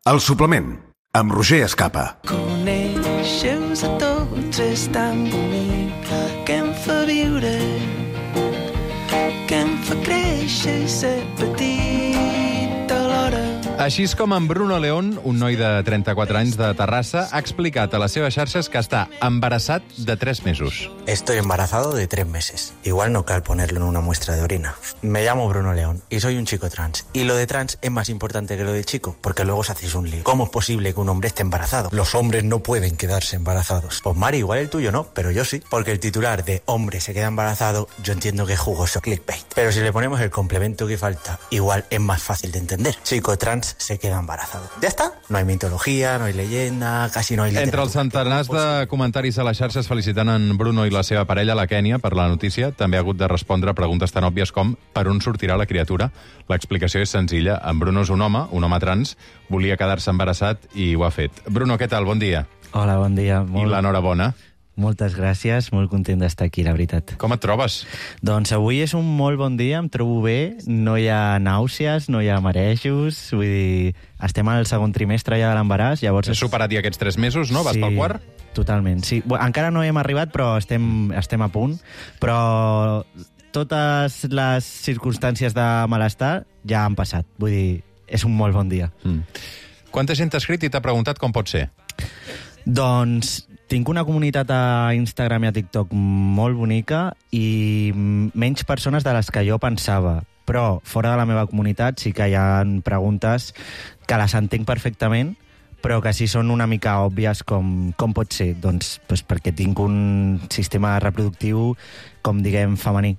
El suplement, amb Roger Escapa. Coneixes a tots, és tan bonic que em fa viure, que em fa créixer i ser petit alhora. Així és com en Bruno León, un noi de 34 anys de Terrassa, ha explicat a les seves xarxes que està embarassat de 3 mesos. Estoy embarazado de 3 meses. Igual no cal ponerlo en una muestra de orina. Me llamo Bruno León y soy un chico trans. Y lo de trans es más importante que lo de chico, porque luego os hacéis un lío. ¿Cómo es posible que un hombre esté embarazado? Los hombres no pueden quedarse embarazados. Pues Mari, igual el tuyo no, pero yo sí. Porque el titular de hombre se queda embarazado, yo entiendo que es jugoso clickbait. Pero si le ponemos el complemento que falta, igual es más fácil de entender. Chico trans se queda embarazado. ¿Ya está? No hay mitología, no hay leyenda, casi no hay literatura. Entre els centenars de comentaris a les xarxes felicitant en Bruno i la seva parella, la Kènia, per la notícia, també ha hagut de respondre preguntes tan òbvies com per on sortirà la criatura. L'explicació és senzilla. En Bruno és un home trans, volia quedar-se embarassat i ho ha fet. Bruno, què tal? Bon dia. Hola, bon dia. I l'enhorabona. Moltes gràcies, molt content d'estar aquí, la veritat. Com et trobes? Doncs avui és un molt bon dia, em trobo bé, no hi ha nàusees, no hi ha marejos, vull dir, estem al segon trimestre ja de l'embaràs, llavors... Has superat ja aquests 3 mesos, no? Vas pel quart? Totalment, sí. Encara no hem arribat, però estem a punt, però totes les circumstàncies de malestar ja han passat, vull dir, és un molt bon dia. Quanta gent t'ha escrit i t'ha preguntat com pot ser? Doncs tinc una comunitat a Instagram i a TikTok molt bonica i menys persones de les que jo pensava. Però fora de la meva comunitat sí que hi ha preguntes que les entenc perfectament, però que sí són una mica òbvies com pot ser. Doncs perquè tinc un sistema reproductiu, com diguem, femení.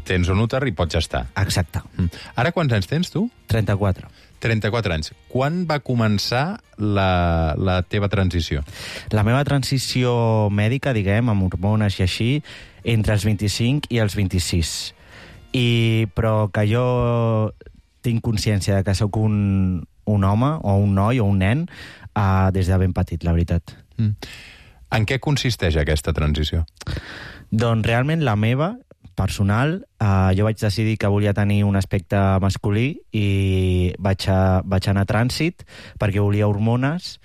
Tens un úter i pots gestar. Exacte. Ara quants anys tens, tu? 34. 34 anys. Quan va començar la teva transició? La meva transició mèdica, diguem, amb hormones i així, entre els 25 i els 26. Però que jo tinc consciència de que sóc un home, o un noi, o un nen, des de ben petit, la veritat. En què consisteix aquesta transició? Doncs realment la meva, personal, jo vaig decidir que volia tenir un aspecte masculí i vaig anar a trànsit perquè volia hormones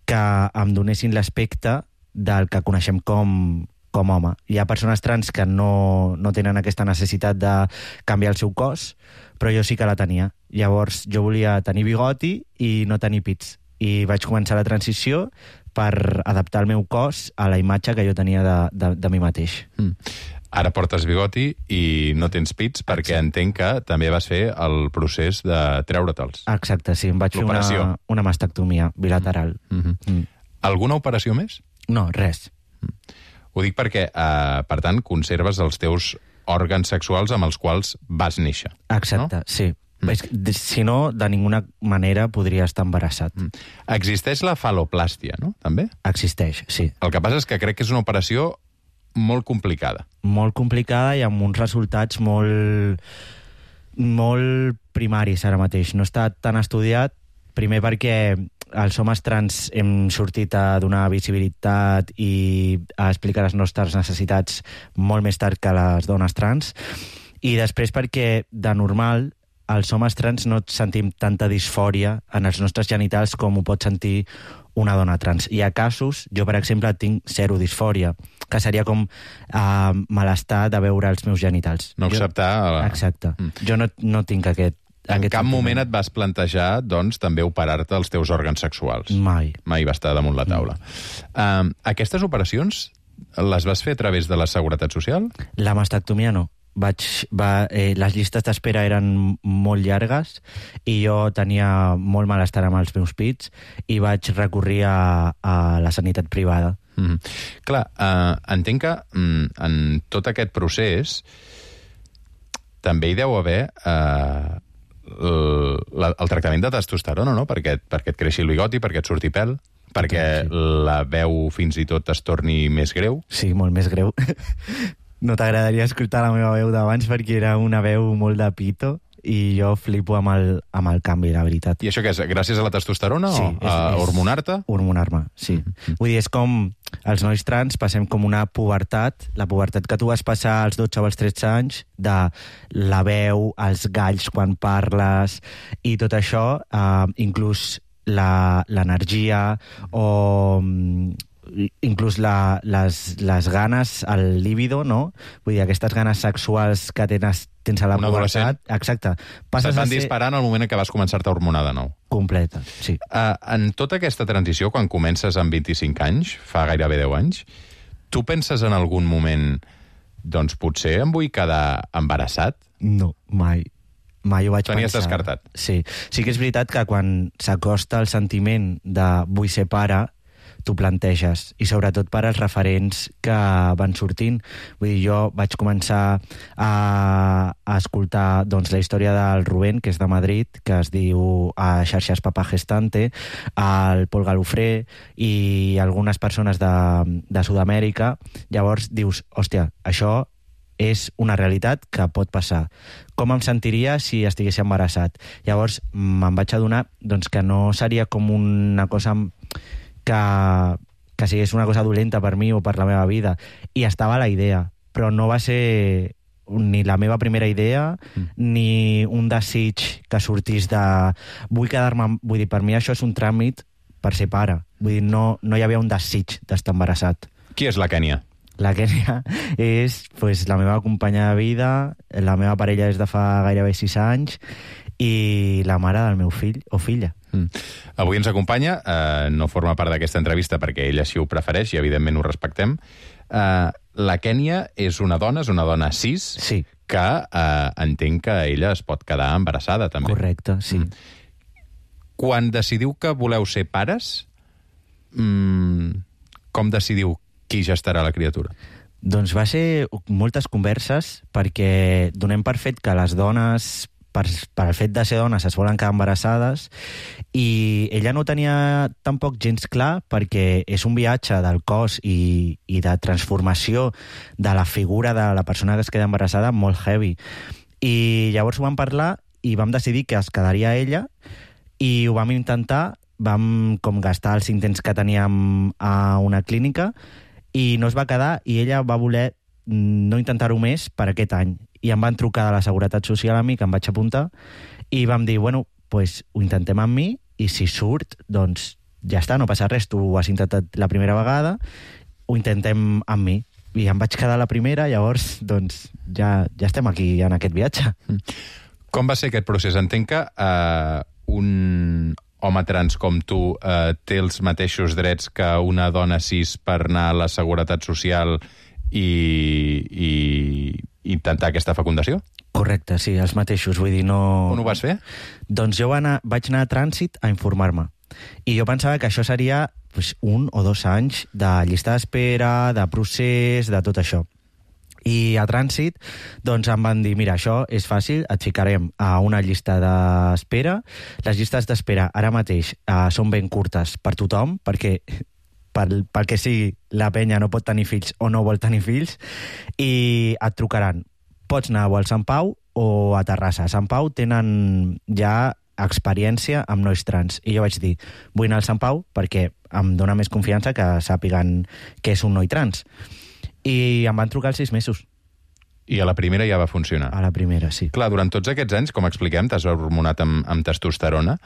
que em donessin l'aspecte del que coneixem com home. Hi ha persones trans que no tenen aquesta necessitat de canviar el seu cos, però jo sí que la tenia. Llavors jo volia tenir bigoti i no tenir pits. I vaig començar la transició per adaptar el meu cos a la imatge que jo tenia de mi mateix. Ara portes bigoti i no tens pits perquè entenc que també vas fer el procés de treure-te'ls. Exacte, sí. Em vaig fer una mastectomia bilateral. Alguna operació més? No, res. Ho dic perquè, per tant, conserves els teus òrgans sexuals amb els quals vas néixer. Exacte, no? Sí. Si no, de ninguna manera podria estar embarassat. Existeix la fal·loplàstia, no? També? Existeix, sí. El que passa és que crec que és una operació molt complicada. Molt complicada i amb uns resultats molt primaris ara mateix. No està tan estudiat, primer perquè els homes trans hem sortit a donar visibilitat i a explicar les nostres necessitats molt més tard que les dones trans, i després perquè, de normal, els homes trans no sentim tanta disfòria en els nostres genitals com ho pot sentir una dona trans. Hi ha casos, jo per exemple tinc 0 disfòria, que seria com malestar de veure els meus genitals. No acceptar... Exacte. Jo no tinc aquest... En cap moment et vas plantejar, doncs, també operar-te els teus òrgans sexuals? Mai. Mai va estar damunt la taula. Aquestes operacions les vas fer a través de la Seguretat Social? La mastectomia no. Les llistes d'espera eren molt llargues i jo tenia molt malestar amb els meus pits i vaig recórrer a la sanitat privada. Clar, entenc que en tot aquest procés també hi deu haver el tractament de testosterona, no? Perquè et creixi el bigoti, perquè et surti pèl, perquè la veu fins i tot es torni més greu. Sí, molt més greu. No t'agradaria escoltar la meva veu d'abans perquè era una veu molt de pito i jo flipo amb el canvi, la veritat. I això què és? Gràcies a la testosterona Sí, o a hormonar-te? Hormonar-me, sí. Vull dir, és com els nois trans passem com una pubertat, la pubertat que tu vas passar als 12 o als 13 anys, de la veu, els galls quan parles, i tot això, inclús l'energia o inclús les ganes, el líbido, no? Vull dir, aquestes ganes sexuals que tens a la pubertat. Exacte. Se't van disparar en el moment en què vas començar-te a hormonar de nou. Completa, sí. En tota aquesta transició, quan comences amb 25 anys, fa gairebé 10 anys, tu penses en algun moment, doncs potser em vull quedar embarassat? No, mai. Mai ho vaig pensar. Tenies descartat. Sí. Sí que és veritat que quan s'acosta el sentiment de vull ser pare, t'ho planteges, i sobretot per als referents que van sortint. Vull dir, jo vaig començar a escoltar doncs, la història del Rubén, que és de Madrid, que es diu a xarxes Papá Gestante, el Pol Galofré i algunes persones de Sud-amèrica. Llavors dius, hòstia, això és una realitat que pot passar. Com em sentiria si estigués embarassat? Llavors me'n vaig adonar doncs, que no seria com una cosa que sigués una cosa dolenta per mi o per la meva vida. I estava la idea, però no va ser ni la meva primera idea, ni un desig que sortís de... Vull quedar-me... Vull dir, per mi això és un tràmit per ser pare. Vull dir, no hi havia un desig d'estar embarassat. Qui és la Kènia? La Kènia és pues, la meva companya de vida, la meva parella és de fa gairebé 6 anys i la mare del meu fill o filla. Avui ens acompanya, no forma part d'aquesta entrevista perquè ella sí ho prefereix i evidentment ho respectem. La Kènia és una dona cis, sí, que entenc que ella es pot quedar embarassada també. Correcte, sí. Quan decidiu que voleu ser pares, com decidiu qui gestarà la criatura? Doncs va ser moltes converses perquè donem per fet que les dones, per el fet de ser dones, es volen quedar embarassades, i ella no ho tenia tampoc gens clar perquè és un viatge del cos i de transformació de la figura de la persona que es queda embarassada molt heavy. I llavors ho vam parlar i vam decidir que es quedaria ella i ho vam intentar, vam com gastar els intents que teníem a una clínica i no es va quedar i ella va voler no intentar-ho més per aquest any. I em van trucar de la Seguretat Social a mi, que em vaig apuntar, i vam dir, bueno, pues ho intentem amb mi i si surt, doncs ja està, no passa res, tu ho has intentat la primera vegada, ho intentem amb mi. I em vaig quedar la primera, llavors doncs ja estem aquí en aquest viatge. Com va ser aquest procés? Entenc que un home trans com tu té els mateixos drets que una dona cis per anar a la Seguretat Social i intentar aquesta fecundació? Correcte, sí, els mateixos, vull dir, no... On ho vas fer? Doncs jo vaig anar a Trànsit a informar-me. I jo pensava que això seria 1 o 2 anys de llista d'espera, de procés, de tot això. I a Trànsit doncs em van dir, mira, això és fàcil, et ficarem a una llista d'espera. Les llistes d'espera ara mateix són ben curtes per tothom, perquè pel que sigui, la penya no pot tenir fills o no vol tenir fills, i et trucaran. Pots anar o al Sant Pau o a Terrassa. A Sant Pau tenen ja experiència amb nois trans. I jo vaig dir, vull anar al Sant Pau perquè em dona més confiança que sàpiguen que és un noi trans. I em van trucar als 6 mesos. I a la primera ja va funcionar? A la primera, sí. Clar, durant tots aquests anys, com expliquem, t'has hormonat amb testosterona.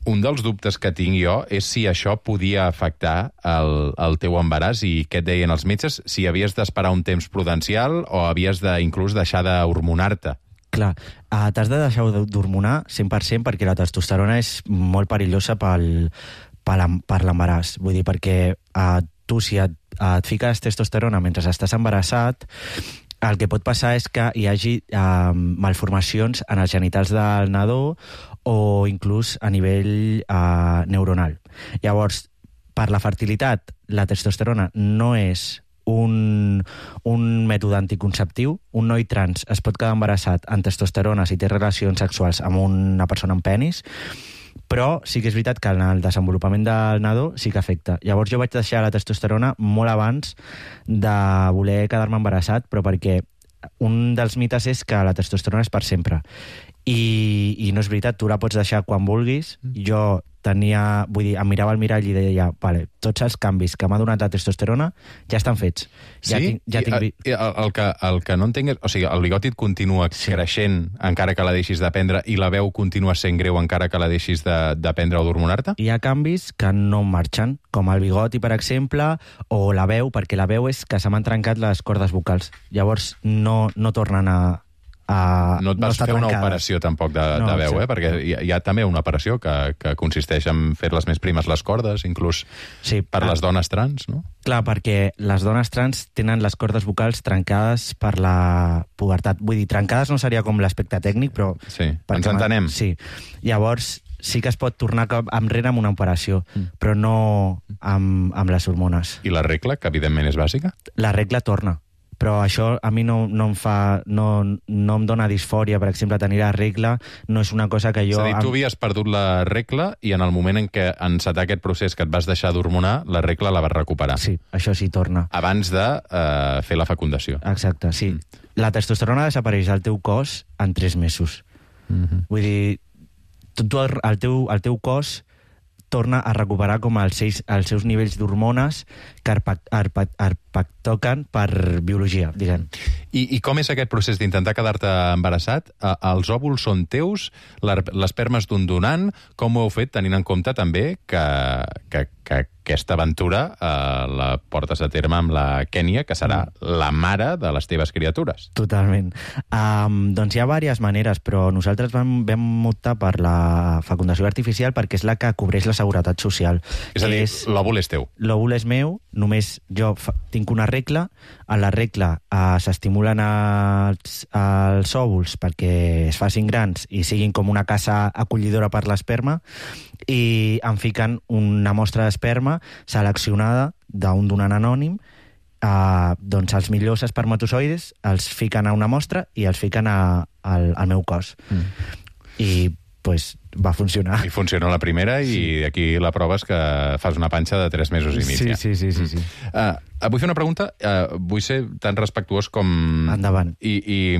Un dels dubtes que tinc jo és si això podia afectar el teu embaràs i què et deien els metges, si havies d'esperar un temps prudencial o havies inclús deixar d'hormonar-te. Clar, t'has de deixar d'hormonar 100% perquè la testosterona és molt perillosa per l'embaràs. Vull dir, perquè tu, si et fiques testosterona mentre estàs embarassat, el que pot passar és que hi hagi malformacions en els genitals del nadó o inclús a nivell neuronal. Llavors, per la fertilitat, la testosterona no és un mètode anticonceptiu. Un noi trans es pot quedar embarassat amb testosterona si té relacions sexuals amb una persona amb penis, però sí que és veritat que en el desenvolupament del nadó sí que afecta. Llavors jo vaig deixar la testosterona molt abans de voler quedar-me embarassat, però perquè un dels mites és que la testosterona és per sempre. i no és veritat, tu la pots deixar quan vulguis. Jo tenia, vull dir, em mirava al mirall i deia, vale, tots els canvis que m'ha donat la testosterona ja estan fets. Sí? El que no entenc és... O sigui, el bigoti et continua creixent encara que la deixis de prendre i la veu continua sent greu encara que la deixis de prendre o d'hormonar-te? Hi ha canvis que no marxen, com el bigoti, per exemple, o la veu, perquè la veu és que se m'han trencat les cordes vocals. Llavors no tornen a... No et vas fer una operació tampoc de veu, perquè hi ha també una operació que consisteix en fer-les més primes les cordes, inclús per les dones trans, no? Clar, perquè les dones trans tenen les cordes vocals trencades per la pubertat. Vull dir, trencades no seria com l'aspecte tècnic, però... Sí, ens entenem. Sí. Llavors, sí que es pot tornar enrere amb una operació, però no amb les hormones. I la regla, que evidentment és bàsica? La regla torna. Però això a mi no em dona disfòria, per exemple, tenir la regla, no és una cosa que jo... És a dir, tu havies perdut la regla i en el moment en què encetar aquest procés que et vas deixar d'hormonar, la regla la vas recuperar. Sí, això sí torna. Abans de fer la fecundació. Exacte, sí. La testosterona desapareix al teu cos en 3 mesos. Vull dir, el teu cos torna a recuperar com els seus nivells d'hormones que toquen per biologia, diguem. I com és aquest procés d'intentar quedar-te embarassat? Els òvuls són teus? L'esperma és d'un donant? Com ho heu fet, tenint en compte també que aquesta aventura la portes a terme amb la Kènia, que serà la mare de les teves criatures? Totalment. Doncs hi ha diverses maneres, però nosaltres vam optar per la fecundació artificial perquè és la que cobreix la seguretat social. És a dir, l'òvul és teu. L'òvul és meu, només jo tinc una regla. A la regla s'estimulen els òvuls perquè es facin grans i siguin com una casa acollidora per l'esperma, i em fiquen una mostra d'esperma seleccionada d'un donant anònim. Doncs els millors espermatozoides els fiquen a una mostra i els fiquen al meu cos. I pues va funcionar. I funciona la primera i aquí la prova és que fas una panxa de 3 mesos i mig. Sí. Vull fer una pregunta, vull ser tan respectuós com... Endavant. I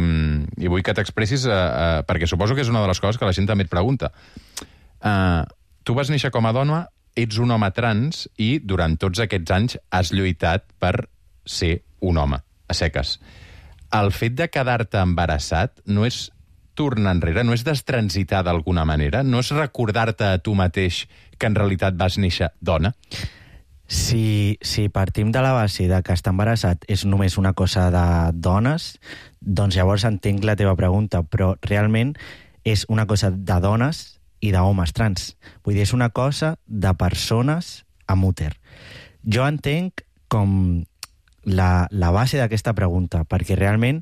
vull que t'expressis, perquè suposo que és una de les coses que la gent també et pregunta. Tu vas néixer com a dona, ets un home trans i durant tots aquests anys has lluitat per ser un home, a seques. El fet de quedar-te embarassat no és tornar enrere, no és destransitar d'alguna manera? No és recordar-te a tu mateix que en realitat vas néixer dona? Si partim de la base de que estar embarassat és només una cosa de dones, doncs llavors entenc la teva pregunta, però realment és una cosa de dones i d'homes trans. Vull dir, és una cosa de persones amb úter. Jo entenc com la base d'aquesta pregunta, perquè realment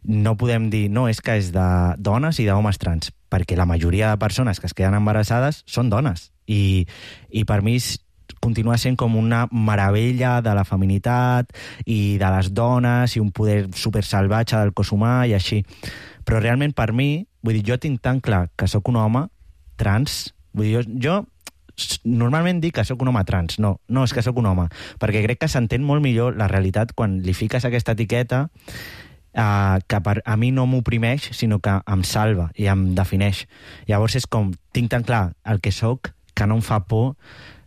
no podem dir, no, és que és de dones i d'homes trans, perquè la majoria de persones que es queden embarassades són dones. I per mi continua sent com una meravella de la feminitat i de les dones i un poder supersalvatge del cos humà i així. Però realment per mi, vull dir, jo tinc tan clar que sóc un home trans, vull dir, jo normalment dic que sóc un home trans, no, és que sóc un home, perquè crec que s'entén molt millor la realitat quan li fiques aquesta etiqueta que a mi no m'oprimeix, sinó que em salva i em defineix. Llavors és com, tinc tan clar el que sóc que no em fa por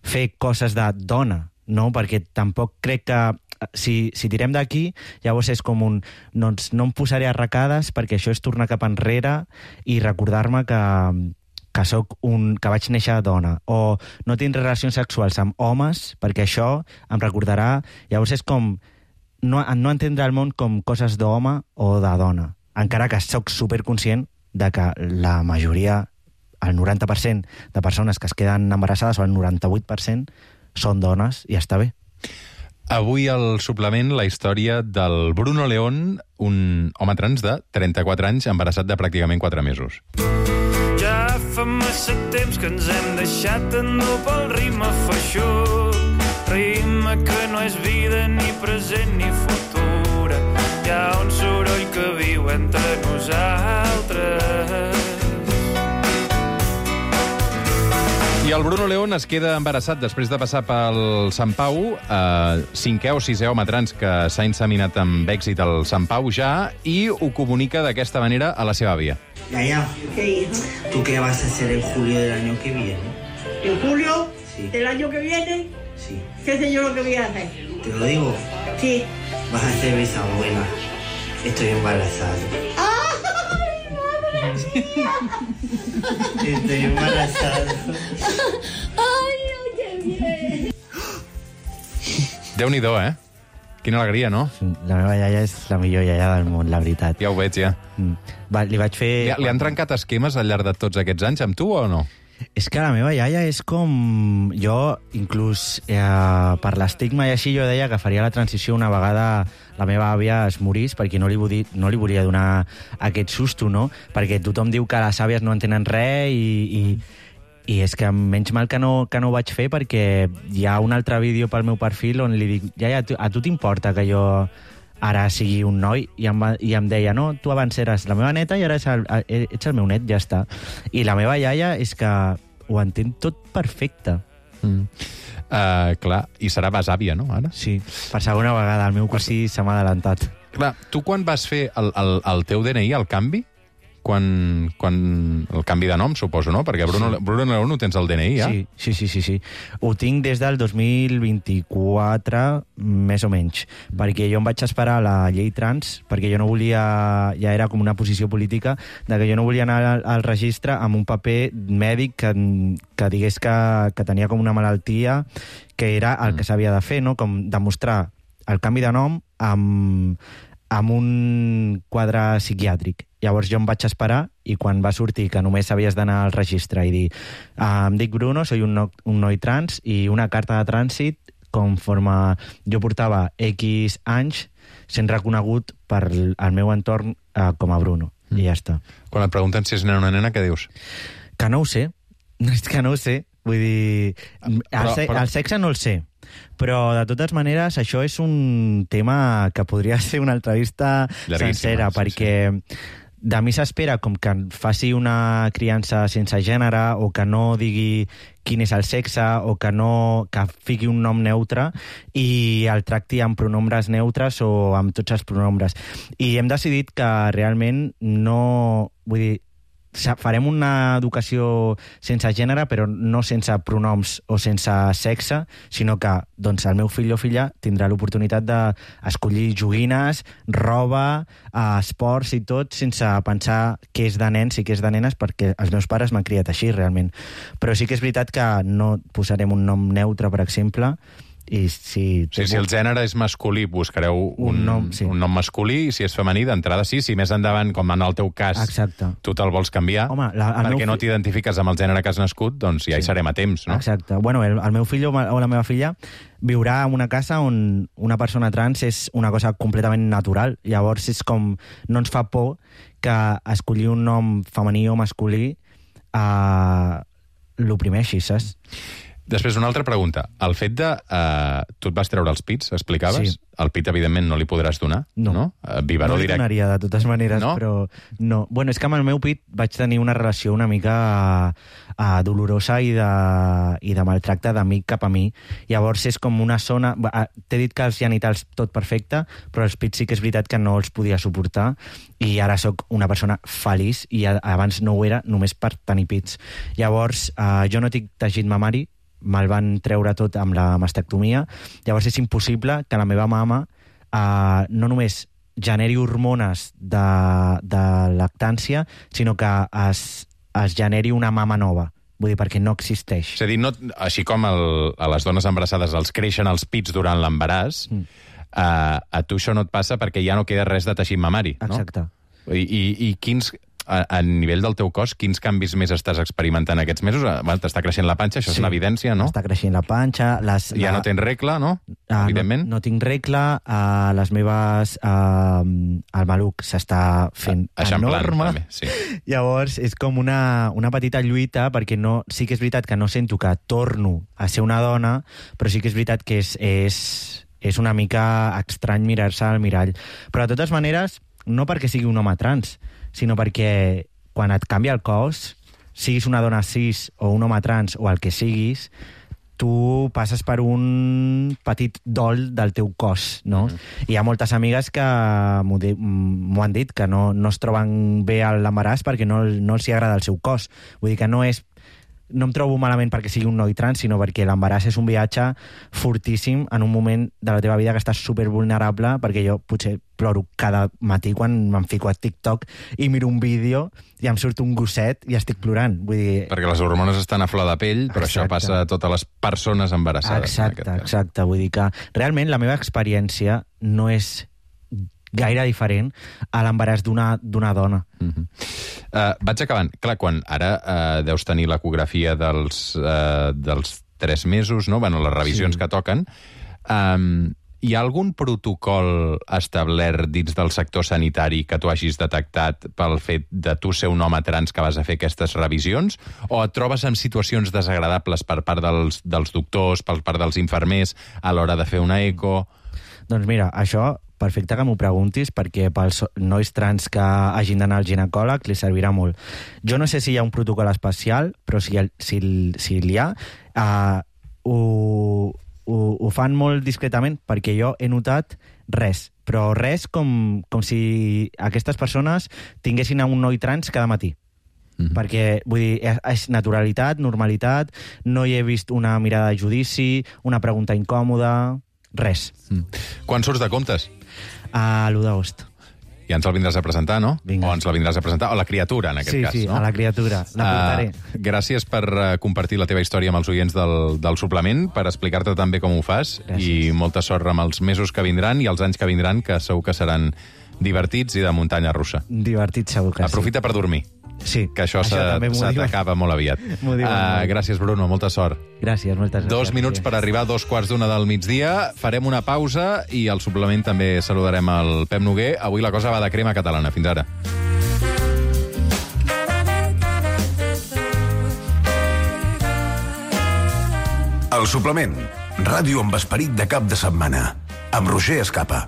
fer coses de dona, no? Perquè tampoc crec que si tirem d'aquí, llavors és com un... Doncs no em posaré arracades perquè això és tornar cap enrere i recordar-me que vaig néixer dona, o no tindré relacions sexuals amb homes perquè això em recordarà. Llavors és com no entendre el món com coses d'home o de dona, encara que sóc superconscient de que la majoria, el 90% de persones que es queden embarassades, o el 98%, són dones i està bé. Avui al suplement la història del Bruno León, un home trans de 34 anys, embarassat de pràcticament 4 mesos. Ja fa massa temps que ens hem deixat endur pel ritme feixuc, ritme que no és vida ni present ni futura. Hi ha un soroll que viu entre nosaltres. I el Bruno León es queda embarassat després de passar pel Sant Pau, 5è o 6è home trans que s'ha inseminat amb èxit al Sant Pau ja, i ho comunica d'aquesta manera a la seva àvia. Yaya, ¿Qué, hijo? ¿tú qué vas a hacer en julio del año que viene? ¿En julio Sí. del año que viene? Sí, ¿Qué sé yo lo que voy a hacer? te lo digo, Sí. vas a ser bisabuela. Estoy embarazado. Estoy embarazado. ¡Ay, qué bien! Déu-n'hi-do, Quina alegria, no? La meva iaia és la millor iaia del món, la veritat. Ja ho veig, ja. Li vaig fer... Li han trencat esquemes al llarg de tots aquests anys amb tu o no? És que la meva iaia és com... Jo, inclús per l'estigma i així, jo deia que faria la transició una vegada la meva àvia es morís, perquè no li volia donar aquest susto, no? Perquè tothom diu que les àvies no entenen res i és que menys mal que no ho vaig fer, perquè hi ha un altre vídeo pel meu perfil on li dic, iaia, a tu t'importa que jo ara sigui un noi? I em deia, no, tu abans eres la meva neta i ara ets el meu net, ja està. I la meva iaia és que ho entén tot perfecte. Clar, i serà besàvia, no, ara? Sí, per segona vegada, el meu cosí se m'ha adelantat. Clar, tu quan vas fer el teu DNI, el canvi, quan el canvi de nom, suposo, no? Perquè Bruno León ho tens al DNI, ja? Sí. Ho tinc des del 2024, més o menys, perquè jo em vaig esperar la llei trans, perquè jo no volia, ja era com una posició política, de que jo no volia anar al registre amb un paper mèdic que digués que tenia com una malaltia, que era el que s'havia de fer, no? Com demostrar el canvi de nom amb un quadre psiquiàtric. Llavors jo em vaig esperar i quan va sortir que només havies d'anar al registre i dir em dic Bruno, soy un noi trans, i una carta de trànsit conforme jo portava X anys sent reconegut per el meu entorn com a Bruno. I ja està. Quan et pregunten si és nena o una nena, què dius? Que no ho sé. És que no ho sé. Vull dir, el sexe no el sé. Però, de totes maneres, això és un tema que podria ser una entrevista sencera, perquè de mi s'espera com que faci una criança sense gènere, o que no digui quin és el sexe, o que fiqui un nom neutre i el tracti amb pronombres neutres o amb tots els pronombres. I hem decidit que realment no... Vull dir, farem una educació sense gènere, però no sense pronoms o sense sexe, sinó que doncs, el meu fill o filla tindrà l'oportunitat d'escollir joguines, roba, esports i tot, sense pensar què és de nens i què és de nenes, perquè els meus pares m'han criat així, realment. Però sí que és veritat que no posarem un nom neutre, per exemple, i si el gènere és masculí, buscareu un nom masculí, i si és femení, d'entrada sí, si més endavant, com en el teu cas, tu te'l vols canviar, perquè no t'identifiques amb el gènere que has nascut, doncs ja hi serem a temps, no? Exacte. Bueno, el meu fill o la meva filla viurà en una casa on una persona trans és una cosa completament natural. Llavors és com... No ens fa por que escollir un nom femení o masculí l'oprimeixi, saps? Després, una altra pregunta. El fet de... tu et vas treure els pits, explicaves? Sí. El pit, evidentment, no li podràs donar, no? Biberó no li directe. donaria, de totes maneres, no? Però no. Bueno, és que amb el meu pit vaig tenir una relació una mica dolorosa i de maltracte d'amic cap a mi. Llavors és com una zona... T'he dit que els genitals tot perfecte, però els pits sí que és veritat que no els podia suportar, i ara sóc una persona feliç, i abans no ho era només per tenir pits. Llavors, jo no tinc teixit mamari, me'l van treure tot amb la mastectomia. Llavors és impossible que la meva mama no només generi hormones de lactància, sinó que es generi una mama nova. Vull dir, perquè no existeix. És a dir, així com a les dones embarassades els creixen els pits durant l'embaràs, a tu això no et passa perquè ja no queda res de teixit mamari, no? Exacte. I quins... A nivell del teu cos, quins canvis més estàs experimentant aquests mesos? T'està creixent la panxa, això és una evidència, no? Està creixent la panxa... Ja no tens regla, no? Evidentment. No tinc regla, les meves... el maluc s'està fent enorme. També, sí. Llavors, és com una petita lluita, perquè sí que és veritat que no sento que torno a ser una dona, però sí que és veritat que és una mica estrany mirar-se al mirall. Però, de totes maneres, no perquè sigui un home trans, sinó perquè quan et canvia el cos, siguis una dona cis o un home trans o el que siguis, tu passes per un petit dol del teu cos, no? Hi ha moltes amigues que m'ho han dit, que no es troben bé a l'embaràs perquè no els hi agrada el seu cos. Vull dir que no em trobo malament perquè sigui un noi trans, sinó perquè l'embaràs és un viatge fortíssim en un moment de la teva vida que estàs supervulnerable, perquè jo potser ploro cada matí quan me'n fico a TikTok i miro un vídeo i em surt un gosset i estic plorant. Vull dir... Perquè les hormones estan a flor de pell, però això passa a totes les persones embarassades. Exacte. Vull dir que realment la meva experiència no és gaire diferent a l'embaràs d'una dona. Vaig acabant. Clar, quan ara deus tenir l'ecografia dels 3 mesos, no? Bueno, les revisions que toquen. Hi ha algun protocol establert dins del sector sanitari que tu hagis detectat pel fet de tu ser un home trans que vas a fer aquestes revisions? O et trobes en situacions desagradables per part dels doctors, per part dels infermers, a l'hora de fer una eco? Doncs mira, això perfecte que m'ho preguntis, perquè pels nois trans que hagin d'anar al ginecòleg li servirà molt. Jo no sé si hi ha un protocol especial, però si hi ha, ho fan molt discretament, perquè jo he notat res, però res com si aquestes persones tinguessin un noi trans cada matí. Perquè, vull dir, és naturalitat, normalitat, no hi he vist una mirada de judici, una pregunta incòmoda, res. Quan surts de comptes? A l'1 d'agost. I ens el vindràs a presentar, no? Vinga. O ens la vindràs a presentar, o la criatura, en aquest cas, no? Sí, a la criatura, la portaré. Gràcies per compartir la teva història amb els oients del suplement, per explicar-te també com ho fas, i molta sort amb els mesos que vindran i els anys que vindran, que segur que seran divertits i de muntanya russa. Divertits segur que sí. Aprofita per dormir. Sí, que això se t'acaba molt aviat. Gràcies, Bruno, molta sort. Gràcies, moltes gràcies. 2 minuts per arribar a 2:15 del migdia. Farem una pausa i al suplement també saludarem el Pep Noguer. Avui la cosa va de crema catalana. Fins ara. El suplement. Ràdio amb esperit de cap de setmana. Amb Roger Escapa.